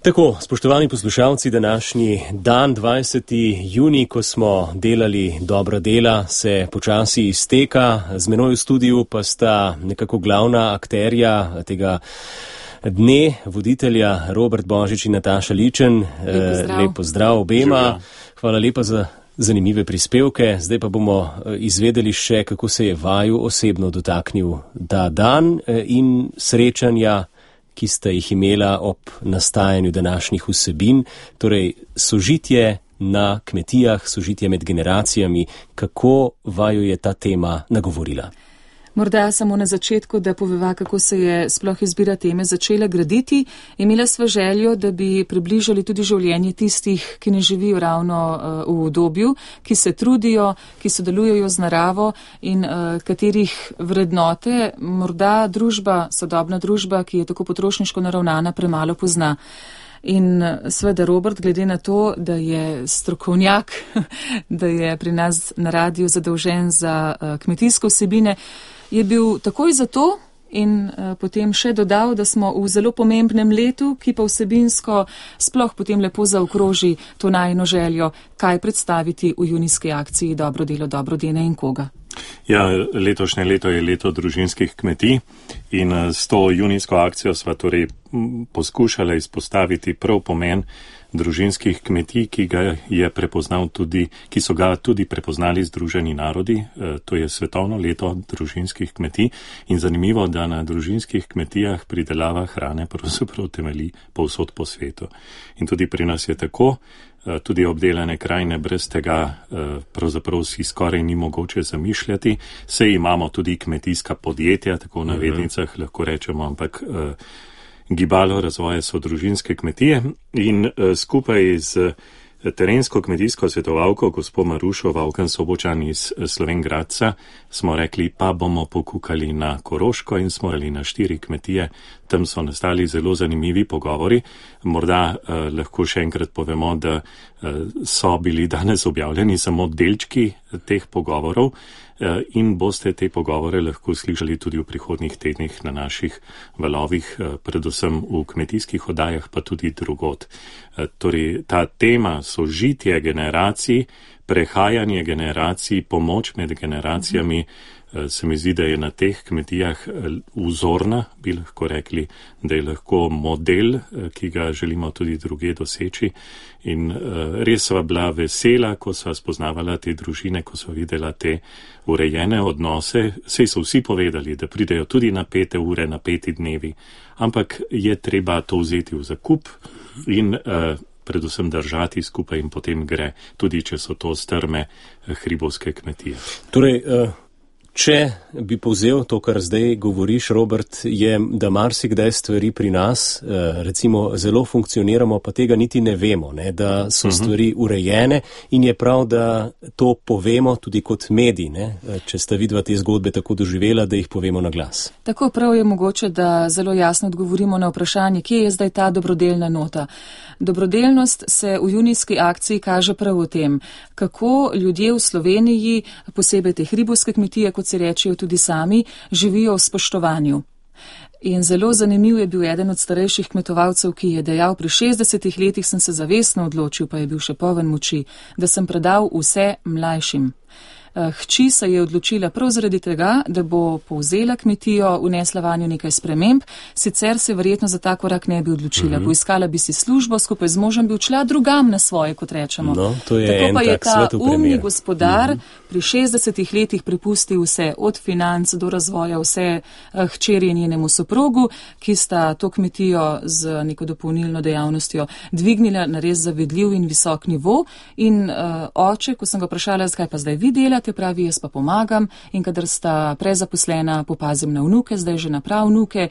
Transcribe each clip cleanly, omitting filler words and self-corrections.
Tako, spoštovani poslušalci, današnji dan, 20. junij, ko smo delali dobra dela, se počasi izteka. Z menoj v studiu pa sta nekako glavna akterja tega dne, voditelja Robert Božič in Nataša Ličen. Lep pozdrav obema. Hvala lepa za zanimive prispevke. Zdaj pa bomo izvedeli še, kako se je vaju osebno dotaknil ta dan in srečanja, ki sta jih imela ob nastajanju današnjih vsebin, torej sožitje na kmetijah, sožitje med generacijami. Kako vaju je ta tema nagovorila? Morda samo na začetku, da poveva, kako se je sploh izbira teme začela graditi. Imela sva željo, da bi približali tudi življenje tistih, ki ne živijo ravno v udobju, ki se trudijo, ki sodelujejo z naravo in katerih vrednote morda družba, sodobna družba, ki je tako potrošniško naravnana, premalo pozna. In seveda Robert, glede na to, da je strokovnjak, da je pri nas na radiju zadolžen za kmetijske vsebine, je bil takoj za to in potem še dodal, da smo v zelo pomembnem letu, ki pa vsebinsko sploh potem lepo zaokroži to najino željo, kaj predstaviti v junijski akciji Dobro delo, dobro dene in koga. Ja, letošnje leto je leto družinskih kmetij in s to junijsko akcijo sva torej poskušala izpostaviti prav pomen družinskih kmetij, ki so ga tudi prepoznali Združeni narodi. To je svetovno leto družinskih kmetij in zanimivo, da na družinskih kmetijah pridelava hrane pravzaprav temelji povsod po svetu. In tudi pri nas je tako. Tudi obdelane krajine brez tega pravzaprav si skoraj ni mogoče zamišljati. Sej imamo tudi kmetijska podjetja, tako v navednicah lahko rečemo, ampak gibalo razvoja so družinske kmetije in skupaj z terensko kmetijsko svetovalko gospo Marušo Vavken-Sobočan iz Slovenj Gradca smo rekli, pa bomo pokukali na Koroško in smo rekli na 4 kmetije. Tam so nastali zelo zanimivi pogovori. Morda lahko še enkrat povemo, da so bili danes objavljeni samo delčki teh pogovorov in boste te pogovore lahko slišali tudi v prihodnjih tednih na naših valovih, predvsem v kmetijskih oddajah, pa tudi drugod. Torej, ta tema sožitje generacij, prehajanje generacij, pomoč med generacijami, se mi zdi, da je na teh kmetijah vzorna, bi lahko rekli, da je lahko model, ki ga želimo tudi druge doseči. In res sva bila vesela, ko sva spoznavala te družine, ko sva videla te urejene odnose. Sej so vsi povedali, da pridejo tudi na 5 ure, na 5 dnevi, ampak je treba to vzeti v zakup in predvsem držati skupaj in potem gre, tudi če so to strme hribovske kmetije. Torej, če bi povzel to, kar zdaj govoriš, Robert, je, da marsikdaj stvari pri nas, recimo, zelo funkcioniramo, pa tega niti ne vemo, ne, da so stvari urejene in je prav, da to povemo tudi kot medij, ne, če sta vidva te zgodbe tako doživela, da jih povemo na glas. Tako prav je mogoče, da zelo jasno odgovorimo na vprašanje, kje je zdaj ta dobrodelna nota. Dobrodelnost se v junijski akciji kaže prav v tem, kako ljudje v Sloveniji, posebej te hribovske kmetije, kot se rečejo tudi sami, živijo v spoštovanju. In zelo zanimiv je bil eden od starejših kmetovalcev, ki je dejal, pri 60 letih sem se zavestno odločil, pa je bil še poln moči, da sem predal vse mlajšim. Hči se je odločila prav zaradi tega, da bo povzela kmetijo, vnesla vanjo nekaj sprememb, sicer se verjetno za ta korak ne bi odločila. Poiskala bi si službo, skupaj z možem bi odšla drugam na svoje, kot rečemo. No, to je tako en pa je tak svetov ta umni primer. gospodar pri 60 letih prepustil vse, od financ do razvoja, vse hčeri njenemu soprogu, ki sta to kmetijo z neko dopolnilno dejavnostjo dvignila na res zavedljiv in visok nivo. In oče, ko sem ga vprašala, zakaj pa zdaj vi delate, pravi, jaz pa pomagam, in kadar sta prezaposlena, popazim na vnuke, zdaj že na prav vnuke,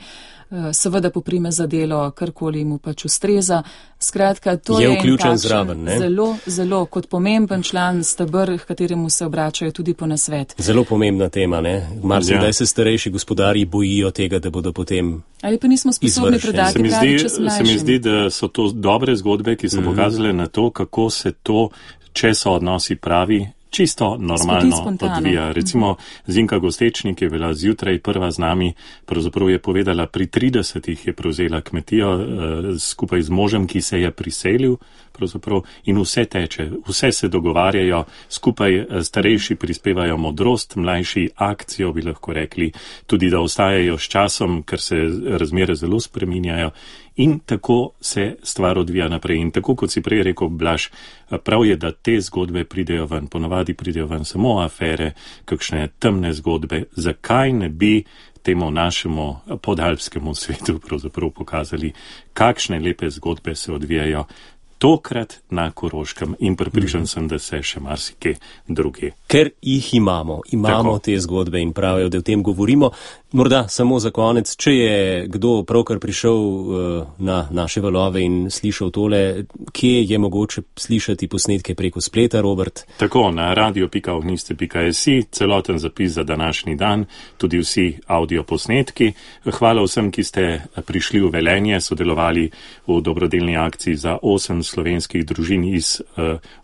seveda poprime za delo, karkoli mu pač ustreza. Skratka, to je vključen zraven, ne? Zelo kot pomemben član stebr, h kateremu se obračajo tudi po nasvet. Zelo pomembna tema, ne? Marsikdaj se starejši gospodarji bojijo tega, da bodo potem ali pa nismo sposobni predati pravi čas mlajšim. Se mi zdi, da so to dobre zgodbe, ki so pokazale na to, kako se to, če so odnosi pravi, čisto normalno odvija. Recimo Zinka Gostečnik je bila zjutraj prva z nami, pravzaprav je povedala, pri 30 je prevzela kmetijo skupaj z možem, ki se je priselil in vse teče, vse se dogovarjajo, skupaj starejši prispevajo modrost, mlajši akcijo, bi lahko rekli, tudi da ostajajo s časom, ker se razmere zelo spreminjajo. In tako se stvar odvija naprej. In tako, kot si prej rekel, Blaž, prav je, da te zgodbe pridejo ven. Ponavadi pridejo ven samo afere, kakšne temne zgodbe. Zakaj ne bi temu našemu podalpskemu svetu pravzaprav pokazali, kakšne lepe zgodbe se odvijajo tokrat na Koroškem in pripričan sem, da se še marsikje druge. Ker jih imamo tako te zgodbe in pravijo, da o tem govorimo. Morda samo za konec, če je kdo pravkar prišel na naše valove in slišal tole, kje je mogoče slišati posnetke preko spleta, Robert? Tako, na radio.ogniste.si, celoten zapis za današnji dan, tudi vsi audioposnetki. Hvala vsem, ki ste prišli v Velenje, sodelovali v dobrodelni akciji za 8 slovenskih družin iz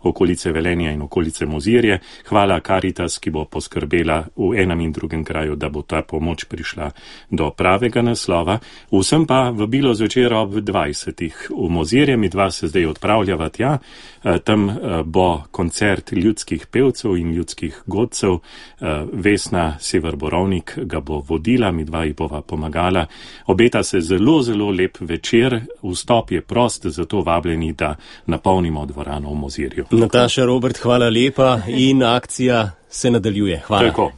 okolice Velenja in okolice Mozirje. Hvala Caritas, ki bo poskrbela v enem in drugem kraju, da bo ta pomoč prišla do pravega naslova. Vsem pa vabilo zvečer ob 20. v Mozirje, mi dva se zdaj odpravljava tja. Tam bo koncert ljudskih pevcev in ljudskih godcev. Vesna Sever-Borovnik ga bo vodila, mi dva ji bova pomagala. Obeta se zelo, zelo lep večer. Vstop je prost, zato vabljeni, da napolnimo dvorano v Mozirju. Nataša, Robert, hvala lepa in akcija se nadaljuje. Hvala. Tako.